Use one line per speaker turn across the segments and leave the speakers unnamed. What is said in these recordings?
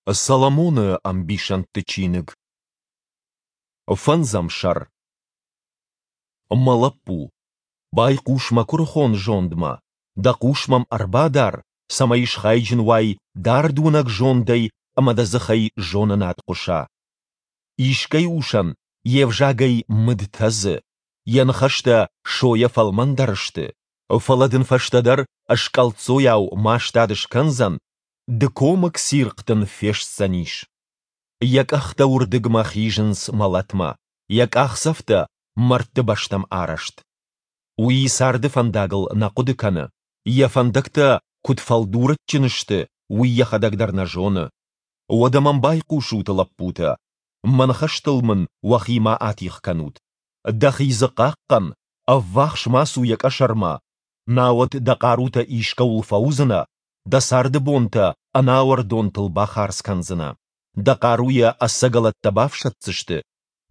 Соломоны ӕмбисӕндты чиныг. Фӕндзӕм сӕр. Мӕ лӕппу, байхъус мӕ куырыхон зондмӕ, дӕ хъус мӕм ӕрбадар, цӕмӕй схайджын уай дардуынӕг зондӕй ӕмӕ дӕ дзыхӕй зонынад хъуыса. Искӕй усӕн йе взагӕй мыд тӕдзы, йӕ ныхӕстӕ сойӕ фӕлмӕндӕр сты, фӕлӕ дын фӕстӕдӕр ӕскъӕлддзойау мастад скӕндзӕн, дыкомыг цирхъ дын фестдзӕнис. Йӕ къӕхтӕ уырдыгмӕ хизынц мӕлӕтмӕ, йӕ къахдзӕфтӕ мӕрдты бӕстӕм арӕзт. Уый царды фӕндагыл нӕ хъуыды кӕны, йӕ фӕндӕгтӕ куыд фӕлдурӕджджын сты, уый йӕхӕдӕг дӕр нӕ зоны. Уӕдӕ мӕм байхъусут, лӕппутӕ, мӕ ныхӕстыл мын уӕхи ма атигъ кӕнут. Дӕхи дзы хъахъхъӕн, ӕввахс ма цу йӕ къӕсӕрмӕ, науӕд дӕ хъарутӕ искӕуыл фӕуыдзынӕ, дӕ царды бонтӕ ӕнауӕрдонтыл бахардз кӕндзынӕ, дӕ хъаруйӕ ӕцӕгӕлӕттӕ бафсӕддзысты,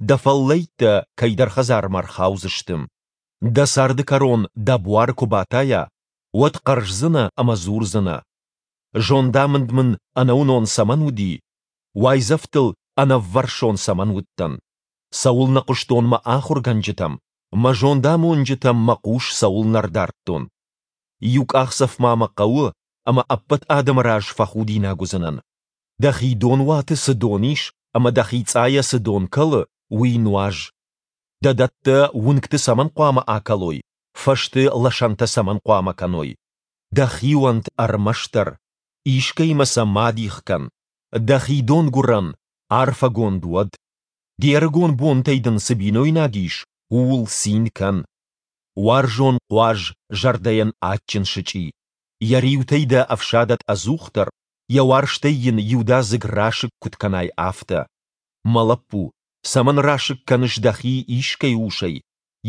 дӕ фӕллӕйттӕ кӕйдӕр хӕдзармӕ рхаудзысты. Дӕ царды кӕрон дӕ буар куы батайа, уӕд хъӕрздзынӕ ӕмӕ дзурдзынӕ: Зондамынд мын ӕнӕуынон цӕмӕн уыди, уайдзӕфтыл ӕнӕввӕрсон цӕмӕн уыдтӕн? Цӕуылнӕ хъуыстон мӕ ахуыргӕнджытӕм, мӕ зондамонджытӕм мӕ хъус цӕуылнӕ рдардтон? Иу къахдзӕф ма мӕ хъӕуы, ӕмӕ ӕппӕт адӕмы раз фӕхудинаг уыдзынӕн. Дӕхи донуаты цы дон ис ӕмӕ дӕхи цъайӕ цы дон кӕлы, уый нуаз. Дӕ дӕттӕ уынгты цӕмӕн хъуамӕ акӕлой, фӕзты лӕсӕнтӕ цӕмӕн хъуамӕ кӕной? Дӕхи уӕнт ӕрмӕстдӕр, искӕимӕ сӕ ма дих кӕн. Дӕхи донгуырӕн арфӕгонд уӕд. Де рыгон бонтӕй дын цы бинойнаг ис, ууыл цин кӕн. Уарзон хъуаз зӕрдӕйӕн адджын сычъи. Йӕ риутӕй дӕ ӕфсадӕд ӕдзухдӕр, йӕ уарзтӕй йын иудадзыг расыг куыд кӕнай, афтӕ. Мӕ лӕппу, цӕмӕн расыг кӕныс дӕхи искӕй усӕй,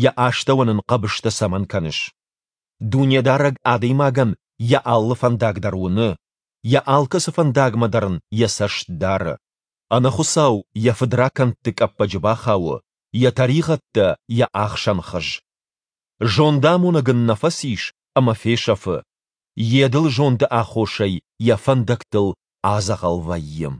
йӕ астӕуӕн ын хъӕбыстӕ цӕмӕн кӕныс? Дунедарӕг адӕймагӕн йӕ алы фӕндаг дӕр уыны, йӕ алкӕцы фӕндагмӕ дӕр ын йӕ цӕст дары. Ӕнӕхуыцау йӕ фыдракӕндты къӕппӕджы бахауы, йӕ тӕригъӕдтӕ йӕ ахсӕн хыз. Зондамонӕг ын нӕ фӕцис ӕмӕ фесӕфы, йе дылы зонды аххосӕй йӕ фӕндӕгтыл адзӕгъӕл вӕййы.